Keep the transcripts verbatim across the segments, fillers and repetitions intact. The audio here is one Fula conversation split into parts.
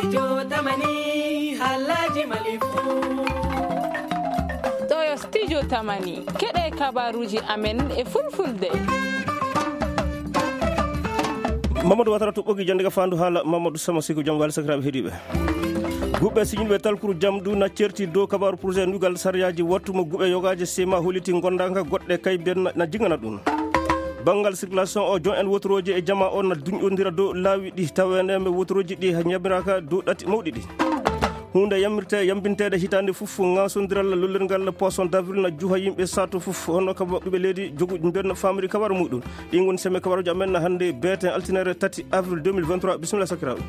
Studio Tamani, halaji malifu. Ɗo yo Studio Tamani, keɗe kabaruji amen e fulfulde. Mamadou Watara to ɓogi jande ka fandu hala Mamadou Sama Siko jam wali sakiraɓe heɗiɓe. Guɓɓe siñinɓe talkuru jam du na certi dow kabaru projet nugal sariyaji wattu mo guɓɓe yogaje sema holiti gondanka goɗɗe kay ben na jingana ɗum. Banngal circulation o, jon en wotorooji e jama o na duñƴondira dow laawi ɗi, taweneeme wotorooji ɗi ñamiraaka dow ɗati mawɗi ɗi. Huunde yamirte yambinteede hitaande fof, ŋaasondiral lollirngal poisson d'avril na juha yimɓe sato fof, hono kaba ɓiɓe leydi jogu mbenno famiri kabaro muɗum. Ɗi ngoni seme kabaruji amen hannde beeten altinere tati avril deux mille vingt-trois. Bisimilla sakiraaɓe.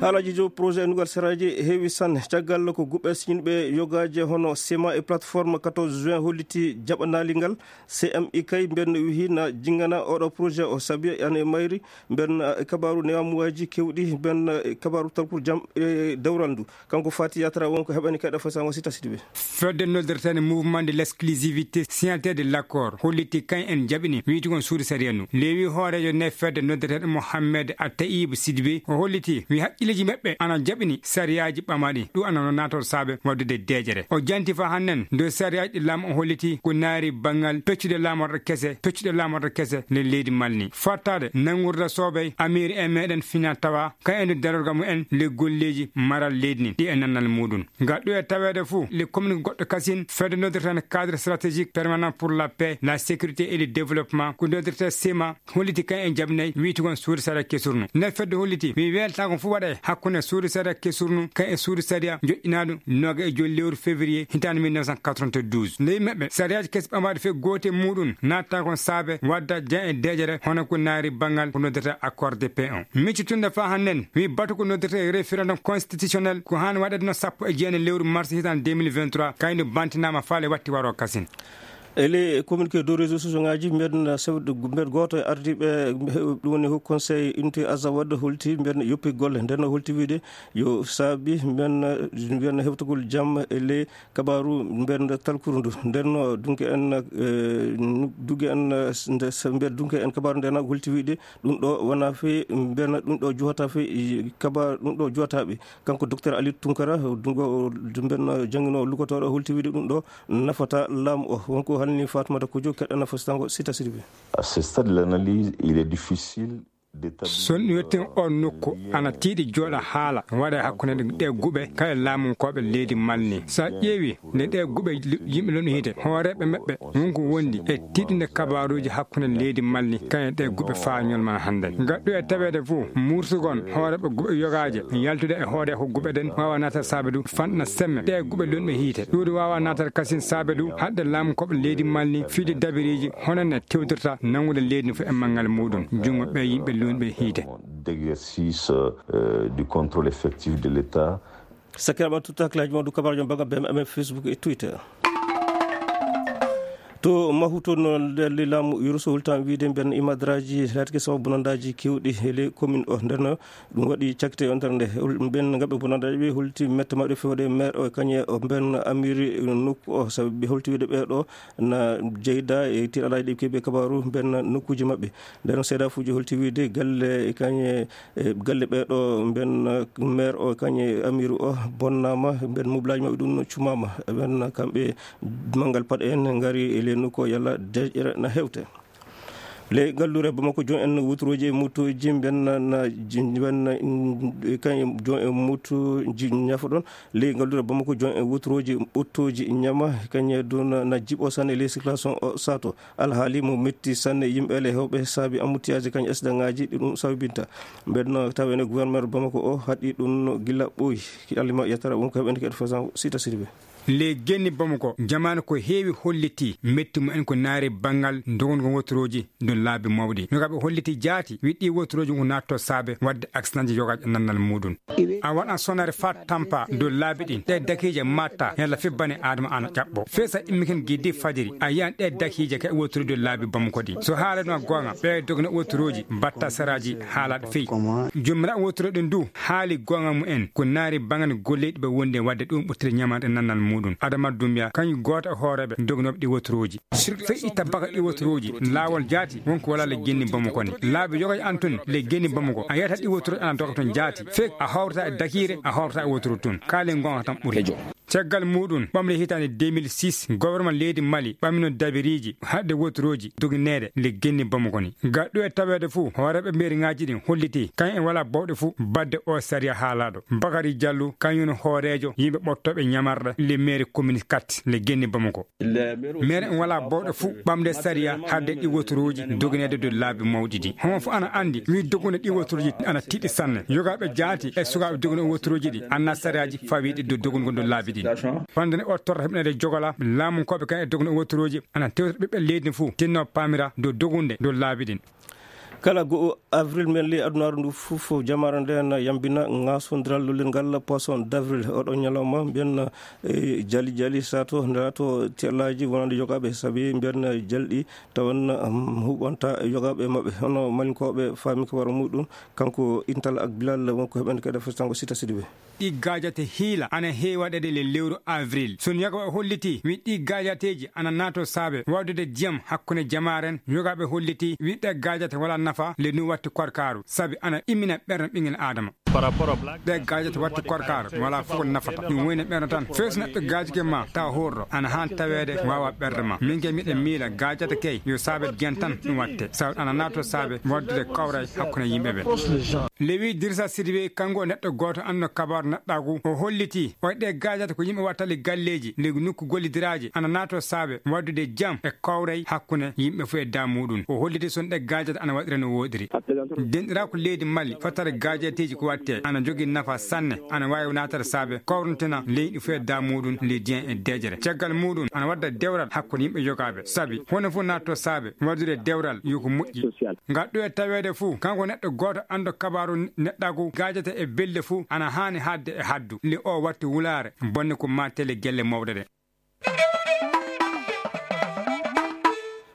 Haalaji dow projet nugal saraji heewi sanne. Caggal ko guɓɓe siñinɓe yogaje hono sema e plateforme quatorze juin holliti jaɓanaali ngal, C M I kay mbenno wihi na jingana oɗo projet o sabi ane mayri mbenno e kabaru newamuwaji kewɗi mbenno e kabaru talkuru jam e dewral ndu. Kanko Fati Yatara wonko heɓani kayɗa fasango sita sidi ɓe. Fedde noddirtene mouvement de l'exclusivité, signataire de l'accord, holliti kan en jaɓini wiyti kon suudu sariya nu. Lewi hoorejo ne fedde noddirtene Mohammed Atayib Sidbe o holliti wi haqqilleji maɓɓe ana jaɓini sariyaji ɓamaɗi ɗum ana no nator saabe waddude deejere. O janti fa hannen dow sariyaji ɗi laamu o holliti ko naari banngal peccude laamorɗe kese, peccude laamorɗe kese le leydi malni fattade nangurda soobey amiri e meɗen fina tawa ka ende darorga mumen le golleji maral leydi ni ɗi e nannal muɗum. Ngal ɗo e taweede fuu, le commune goɗɗo kasin, fedde noddirtene cadre stratégique permanent pour la paix, la sécurité et le développement, ko noddirte sema, holliti kan e jabnay, wiyti kon suudu sariya kesurnu. Nde fedde holliti, wi weltago fuu waɗa e hakkunde suudu sariya kesurnu, kan e suudu sariya joƴƴinaɗo noga e joli lewru février, hitande mille neuf cent quatre-vingt-douze. Nde yimɓe sariyaji kesi ɓamaɗi fe goote muɗum, natta kon saabe wadda jan e deƴere, hono ko naari bangal ko noddata accord de paix on. Miccitunde fa hannen, wi batu ko noddata référendum constitutionnel, ko han waɗata no sappo e jeenayi lewru mars hitan deux mille vingt-trois, kayno bantinama faale watti waro kasin. Ele communiqué dow réseau sociaux ngaji, mbeɗen sewde mbeɗ gooto e ardiiɓe, ɗum woni Haut Conseil Unité Azawad holti mbeɗen yoppi golle. Nden holti wiide yo saabi mbeɗen, mbeɗen heftugol jam e le kabaru mbeɗen talkuru ndu. Nden dunke en, eh, dunke en, eh, nde se-, mbeɗen dunke en kabaru nden holti wiide ɗum ɗo wona fe mbeɗen ɗum ɗo juhata fe kabaru ɗum ɗo juhataɓe. Kanko Docteur Ali Tunkara, dungo, mbeɗen jangino lugotooɗo holti wiide ɗum ɗo nafata laamu o. Wonko halni Fatoumata Kojo, keɗɗa nafa sitango sita sirbi. À ce stade de l'analyse, il est difficile d'établir, son yettin on nokku, euh, ana tiiɗi jooɗa haala waɗa e hakkunde ɗe guɓe kala laamunkooɓe leydi malni. Sa ƴeewi nde ɗe guɓe yimɓe lon hiite, hooreeɓe maɓɓe wonko wondi e tiiɗinde kabaruuji hakkunde leydi malni, kañe ɗe guɓe faañol man hannden. Gaɗɗo e taweede fof, mursugon hooreeɓe guɓe yogaaje, yaltude e hoore ko guɓe ɗen waawa naata saabe du fanɗna semme ɗe guɓe lonɓe hiite. Ɗuuɗi waawa naata kasin saabe du haɗde laamunkooɓe leydi malni fiide dabiriiji hono ne tewtirta nanngude leydi fof e manngal muɗum, junngo ɓe yimɓe lonɓe hiite. D'exercice, euh, du contrôle effectif de l'État. Sakiraaɓe, tutta hakkilaaji mon dow kabaruuji mon banngal B M M, Facebook e Twitter. To Mahuto no nder laamu Yuruso hultan wiide mben imadraji latke sababu bonandaaji kewɗi e ley commune o. Nder no ɗum waɗi cakte yontere nde, mben ngaɓe bonandaaji ɓe holti mette maɓɓe fewde maire o kañe o mben amiri nokku o, sababu ɓe holti wiide ɓee ɗo na jeyda e tiiɗalaaji ɗi keɓi kabaru mben nokkuuji maɓɓe. Nder no seedafuuji holti wiide galle e kañe e galle ɓee ɗo mben, eh, maire o kañe amiru o bonnaama, mben mublaaji maɓɓe ɗum no cumaama. Mben kamɓe manngal paɗe en ngari e ley nokku o yalla deƴƴere na hewte. Ley gallure Bamako, jon en wutrooji e mootooji mben na, na, ji-, mben na, mm, kañe jon en mootooji ñafa ɗon. Ley gallure Bamako, jon en wutrooji ottooji ñama kañe ɗum na, na jiɓo sanne ley circulation o sato. Alhaali mo metti sanne yimɓe le hewɓe saabi embouteillage kañ accident ngaji ɗi ɗum sababinta. Mbeɗno tawa ene gouverneur Bamako o haɗi ɗum no gila ɓooyi. Ki alima yetara wonko heɓen ko fasan sita sirbe. Le genni Bamako, jamaanu ko heewi holliti metti mumen ko naari banngal dogongo wotorooji dow laabi mawɗi. No kaɓe holliti jaati, wi ɗi wotorooji ko naatto saabe waɗde accident ji yoga nannal muɗum. A waɗan sonare faa tampa dow laabi ɗin. Ɗe dakiije matta, yalla fi bani Adama ana ƴaɓɓo. Fesa immiken giddi fajiri, a yiyan ɗe dakiije ka e wottude dow laabi Bamako ɗi. So haalano goonga, ɓe dogna wotturoji, batta saraji, haalaɗo fey. Jomiraɗo wottude ɗum du, haali goonga mumen, ko naari bangan golleɗi ɓe wonde wadde ɗum ɓurtude ñamande nannal mum. muɗum. Adama Dumbiya, kañum gooto e hooreeɓe dognooɓe ɗi woturuuji. Fey itta baka ɗi woturuuji, laawol jaati, wonko wala le genni Bamako ni. Laabi yoga an tun, le genni Bamako. A yiyata ɗi woturuuji ana doga tun jaati. Fek a hawrata e dakiire, a hawrata e woturu tun. Kaalen gonga tan ɓuri. Caggal muɗum, ɓamle hitaande deux mille six, gouvernement leydi Mali ɓamino dabiriiji haɗde woturuuji dogineede le genni Bamako ni. Ga ɗo e taweede fuu, hooreeɓe mairie ŋaaji ɗin holliti, kañum en wala bawɗe fuu badde o sariya haalaaɗo. Bakari Jallu, kañum woni hooreejo yimɓe ɓottooɓe ñamarɗe le mairie commune quatre le genni Bamako. Mairie en wala bawɗe fuu ɓamde sariya haɗde ɗi woturuuji dogineede dow laabi mawɗi ɗi. Homo fuu ana anndi, wi dogunde ɗi woturuuji ana tiiɗi sanne. Yogaaɓe jaati e sukaaɓe dogunde woturuuji ɗi, anna sariyaaji fawiiɗi dow dogunde dow laabi ɗi. Fande ne o torra heɓnede jogola, laamunkooɓe kan e dogunde woturuuji, ana tewta ɓiɓɓe leydi fuu, tinno paamira dow dogunde dow laabi ɗin. Kala go'o avril men ley adunaaru ndu fof, jamaare nden yambina ŋaasondiral lollirngal poisson d'avril. Oɗo ñalawma mbiyen, eh, jali jali sato nde lato tellaaji wonande yogaaɓe, sabi mbiyen jalɗi tawan, um, huɓanta yogaaɓe maɓɓe. Hono Malinkooɓe faami ko waro muɗum, kanko Intal ak Bilal wonko heɓen kadi festango Sita Sidibe. Ɗi gaajate hiila ana heewi waɗeede le lewru avril. Sun yogaaɓe holliti wi ɗi gaajateeji ana naato saabe waɗude jiyam hakkunde jamaaren. Yogaaɓe holliti wi ɗe gaajate wala nafa le nu watti korkaaru, sabi ana immina ɓernde ɓingel Adama. Ɗe gaajata watti korkaara, wala fof ko nafata. Ɗum woyna ɓerno tan. Fees neɗɗo gaajike ma, tawa horɗo. Ana haan taweede, waawa ɓerde ma. Min kay miɗen miila gaajata kay, yo saabe gen tan ɗum watte. Saw ana naato saabe, waddude kawray hakkunde yimɓe ɓe. Lewi Dirsa Sidibe, kanko o neɗɗo gooto anndo kabaaru neɗɗaagu. O holliti, o ɗe gaajata ko yimɓe wattali galleeji, ley nokku gollidiraaji, ana naato saabe, waddude jam e kawray hakkunde yimɓe fof e daa muɗum. O holliti son ɗe gaajata ana waɗira no woɗiri. Denɗiraaku leydi Mali, fottare gaajateeji ko watte, ana jogii nafa sanne, ana waawi naatata saabe, kawruntina leydi fof e daa muɗum, leydi en e deeƴere. Caggal muɗum, ana wadda dewral hakkunde yimɓe yogaaɓe. Sabi, hono fof naatto saabe, waɗude dewral yo ko moƴƴi. Ngal ɗo e taweede fof, kanko neɗɗo gooto anndo kabaaru neɗɗaagu gaajata e belle fof, ana haani haadde e haddu. Le o watti wulaare, bonne ko mattele gelle mawɗe ɗe.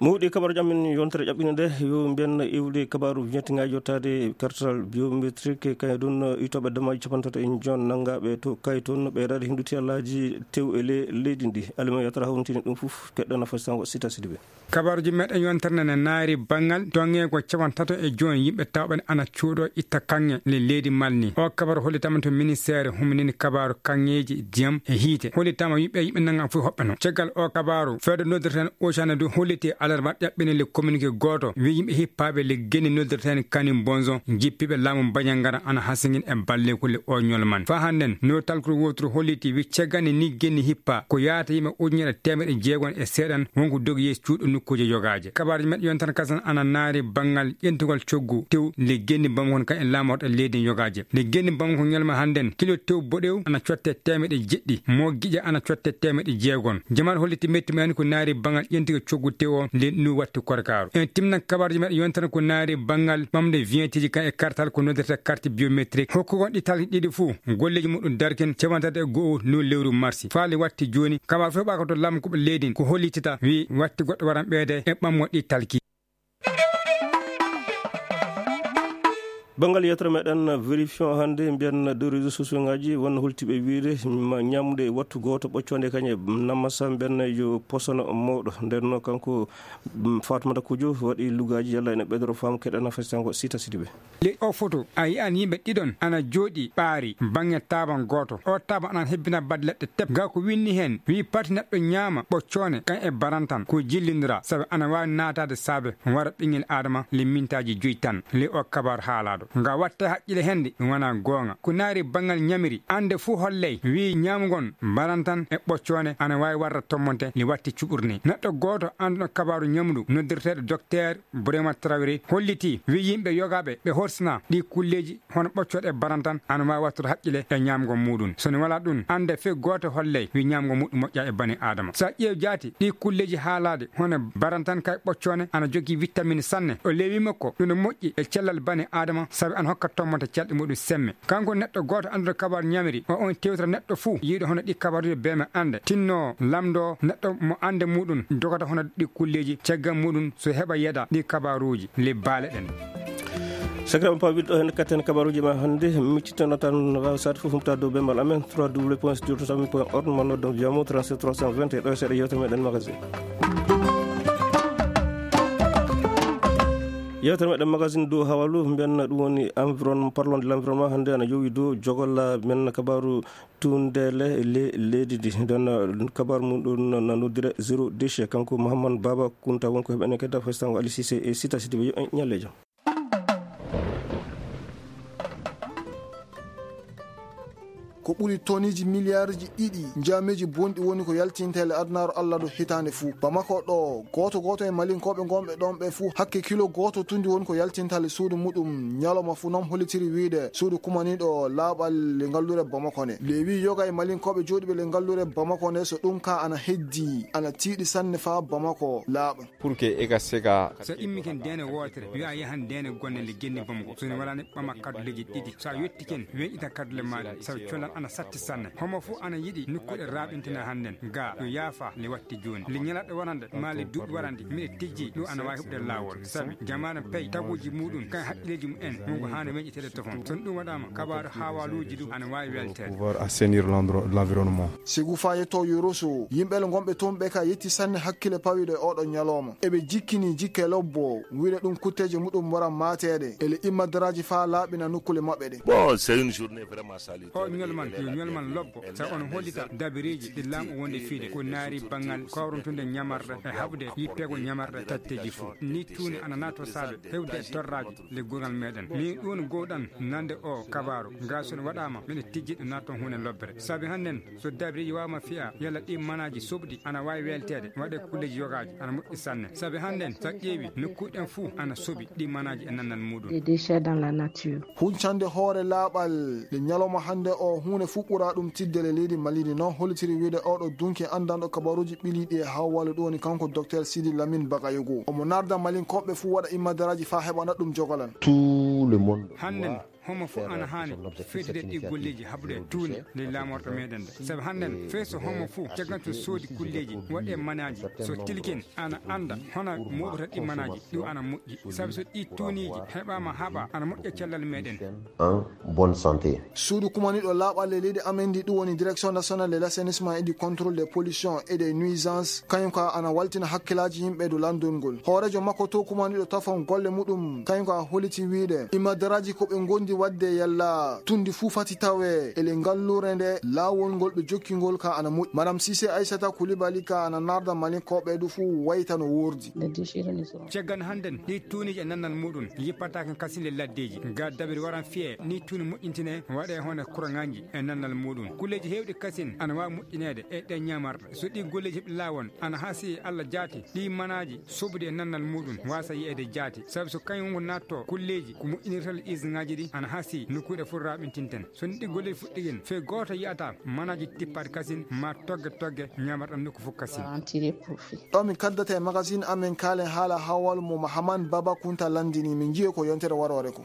Mawɗi kabaaruuji amen yontere ƴaɓɓinde nde, yo mbiyen iwde kabaaru wiyeteenga yottaade kartal biométrique, kañum ɗum itooɓe damaaji capanɗe tato e joon nanngaaɓe to Kayton, ɓeydaade henndude allaaji tew e le-, leydi ndi. Alima Yatara hawrintini ɗum fof, keɗɗo nafa sango Sita Sidibe. Kabaaruuji meɗen yontere nde naari banngal toŋŋeego capanɗe tato e joon yimɓe tawɓe ana cuuɗo itta kaŋŋe le leydi Mali ni. O kabaaru hollitaama to ministeere huminini kabaaru kaŋŋeeji ndiyam e hiite. Hollitaama yimɓe, yimɓe nannga fof hoɓɓe no. Caggal o kabaaru, fedde noddirten Ocean du holliti alarba ƴaɓɓini le communiqué gooto, wi yimɓe hippaaɓe le genni noddirten Kani Bonzo, jippiiɓe laamu Banjagara ana hasingin e balleeku le o ñolman. Faa hannden, no talkuru wooturu holliti wi ceggani ni genni hippa, ko yaata yimɓe ujunere teemeɗe jeegon e seeɗan, wonko dogi yeeso cuuɗi nokkuuje yogaaje. Kabaaruuji meɗen yontere kasan ana naari banngal ƴentugol coggu tew le genni Bamako kan e laamorɗe leydi yogaaje. Le genni Bamako ñalma hannden, kilo tew boɗew ana cotte teemeɗe jeɗɗi, mo giƴa ana cotte teemeɗe jeegon. Jamaat holliti metti mumen ko naari banngal ƴentugol coggu tew o le nu watti korkaaru. En timnan kabaaruuji meɗen yontere ko naari banngal ɓamde vignetteeji kan e kartal ko noddirta carte biométrique. Hokkugol ɗi talki ɗiɗi fof, golleeji muɗum darkin capanɗe tati e go'o no lewru marsi. Faale watti jooni, kabaaru fof ɓaka to laamkuɓe leydi ko hollitita, wi watti goɗɗo waran ɓeyde e ɓammo ɗi talki. Banngal yettere meɗen vérifion hannde, mbiyen dow réseaux sociaux ngaji, won hultiɓe wiide ma ñamde wattu gooto ɓoccoonde kañe namasa mbiyen yo posono mawɗo. Nden no kanko, mm, Fatmata Kujo waɗi lugaaji, yalla ene ɓeydoro faamu keɗana festango Sita Sidibe. Ley o foto, a yi'an yimɓe ɗiɗon ana jooɗi ɓaari baŋŋe taaban gooto. O taaban ana hebbina baɗe leɗɗe tep. Ga ko winni heen, wi pati neɗɗo ñaama ɓoccoone kan e barantan ko jillindira, sabu ana waawi naataade saabe wara ɓiŋngel Aadama le mintaaji joy tan. Ley o kabaar haalaaɗo. Nga watte haqqile hende ɗum wona goonga. Ko naari baŋŋal ñamiri, annde fuu holley, wi ñaamugol barantan e ɓoccoone ana waawi warra tommonte le watti cuɓurni. Neɗɗo gooto annduɗo kabaaru ñamdu noddirteeɗo Docteur Bourema Traoré hollitii, wi yimɓe yogaaɓe ɓe horsina ɗi kulleeji hono ɓoccooɗe barantan ana waawi wattude haqqile e ñaamgol muɗum. So ne wala ɗum, annde fii gooto holley wi ñaamgol muɗum moƴƴa e bani Aadama. So a ƴeew jaati, ɗi kulleeji haalaade hono barantan kay ɓoccoone ana jogii vitamine sanne. O leewi makko, ɗum no moƴƴi e cellal bani Aadama, sabi ana hokka tommonte calɗi muɗum semme. Kanko neɗɗo gooto annduɗo kabaaru ñamiri, o on tewtata neɗɗo fuu yiiɗo hono ɗi kabaaruuji bee men annde. Tinno lamndo neɗɗo mo annde muɗum dogata hono ɗi kulleeji, caggal muɗum so heɓa yeɗa ɗi kabaaruuji, le baale ɗen. Sakiraɓe pawɓe ɗo heen katten kabaruuji ma hannde, miccitano tan no waawi saade fof humpita dow bemmal amen trois w point studio totamin point org, ma noddan via mo trente-sept trois cent vingt e ɗo e seeɗa yewtere meɗen magazine. Yewtere meɗen magazine dow hawalu mbiyanna ɗum woni environ, parlon de l'environnement, hannde ana yowi dow jogola men kabaru tundeele le leydi ndi. Nden kabaru mum ɗum na noddire zéro déchet, kanko Mouhammad Baba Kunta won ko heɓene kedda festango Ali Cissé e Sita Sidibé. Yo en ñalle jam. Ko ɓuri toniji miliyarji ɗiɗi njaameji bonɗi woni ko yaltinta e le adunaaru Allah ɗo hitaande fuu. Bamako ɗo, gooto gooto e Malinkooɓe ngonɓe ɗon ɓe fuu, hakke kilo gooto tundi woni ko yaltinta le suudu muɗum ñalawma fuu. Non hollitiri wiyde suudu kumaniiɗo laaɓal le ngalluure Bamako nde. Lewi yoga e Malinkooɓe jooɗiiɓe le ngalluure Bamako nde, so ɗum ka ana heddi, ana tiiɗi sanne faa Bamako laaɓa. Pour que ega sega. So immiken deene wootere, wi'a yahan deene gonne le genni Bamako. So ne walaani ɓama kadduleeji ɗiɗi. So a yettiken, weeƴita kaddule maaɗa, sabu collan ana satti sanne. Homo fuu ana yiɗi nokkuure raaɓintina hannden. Ga, yo yaafa le watti jooni. Le ñalaɗo warande, maa le duuɓi warande, miɗe tijji, ɗum ana waawi huɓde laawol. Sabi, jamaanu pey, taguuji muɗum, kan haqqileeji mum en, wonko haani weeƴiteede tofon. So ɗum waɗaama, kabaaru haawaaluuji ɗum ana waawi welteede. Pouvoir assainir l'endro-, l'environnement. Sigu faa yetto Yoroso, yimɓe le ngonɓe toon ɓe ka yetti sanne hakkile pawiiɗo e oɗo ñalooma. Eɓe jikkini jikke lobbo, wiyde ɗum kutteeje muɗum wara maateede, ele imma daraaji faa laaɓina nokkule maɓɓe ɗe. Bon, c'est une journée vraiment salutaire. O ñolman, yo ñolman lobbo, sa on hollita dabireeji ɗi laamu wonde fiide, ko naari banngal kawruntunde ñamarɗe e haɓde yippeego ñamarɗe tatteeji fuu. Ni tuuni ana naato saabe hewde e torraaji le gurngal meɗen. Min ɗum gowɗan nande o kabaaru, ga so ɗum waɗaama, miɗen tijji ɗum naatton huunde lobbere. Sabi hannden, so dabireeji waawama fiya, yalla ɗi manaaji soɓɗi ana waawi welteede, waɗe kulleeji yogaaji ana moƴƴi sanne. Sabi hannden, so a ƴeewi, nokkuuji ɗen fuu ana soɓi ɗi manaaji e nannal muɗum. Des déchets dans la nature. Huncande hoore laaɓal, nde ñalawma hannde o, huunde fuu ɓura ɗum tidde le leydi Mali ndi. Non hollitiri wiyde oɗo dunki anndanɗo kabaruuji ɓiliiɗi e hawwale, ɗum woni kanko Docteur Sidi Lamine Bagayogo. Omo narda Malinkooɓe fuu waɗa immadaraaji faa heɓana ɗum jogolan. Tout le monde doit Hannden, homo fof ana haani feetide ɗi golleeji haɓude tuuni ley laamorɗo meɗen nde. Sabu hannden, fee so homo fof caggal to soodi kulleeji, waɗe manaaji, so tilken ana annda hono mooɓata ɗi manaaji, ɗum ana moƴƴi. Sabu so ɗi tuuniiji heɓaama haɓa, ana moƴƴa cellal meɗen. En bonne santé. Suudu kumaniiɗo laaɓal e leydi amen ndi, ɗum woni Direction Nationale de l'Assainissement et du Contrôle des Pollutions et des Nuisances, kañum ka ana waltina hakkilaaji yimɓe dow lanndol ngol. Hooreejo makko to kumaniiɗo tafon golle muɗum, kañum ka holliti wiyde, imadaraaji ko ɓe ngondi waɗde yalla tundi fuu fati tawe ele ngalluure nde, laawol ngol ɓe jokki ngol ka ana moƴƴi. Madame Cissé Aissata Coulibaly ka ana narda Malinkooɓe du fuu wayta no woordi. Caggal hannden, ɗi tuuniiji e nannal muɗum yippataake kasin le laddeeji. Ga dabiri waran fiye, ni tuuni moƴƴintine, waɗe hono kuraŋaaji e nannal muɗum. Kulleeji heewɗi kasin ana waawi moƴƴineede e ɗe ñaamarɗe. So ɗi golleeji heɓi laawol, ana hasi Allah jaati, ɗi manaaji soɓude e nannal muɗum waasa yi'eede jaati. Sabu so kañum wongo naatto kulleeji ko moƴƴinirta le usine ŋaaji ɗi, ana hasi nokkuuɗe fof raaɓintinten. So ni ɗi golleeji fuɗɗigen, fee gooto yi'ata manaaji tippaɗi kasin, ma togge togge ñaamarɗam nokku fof kasin. Ɗo min kaddata e magazine amen kaalen haala hawal mo Mahaman Baba Kunta lanndini, min njiye ko yontere waroore ko.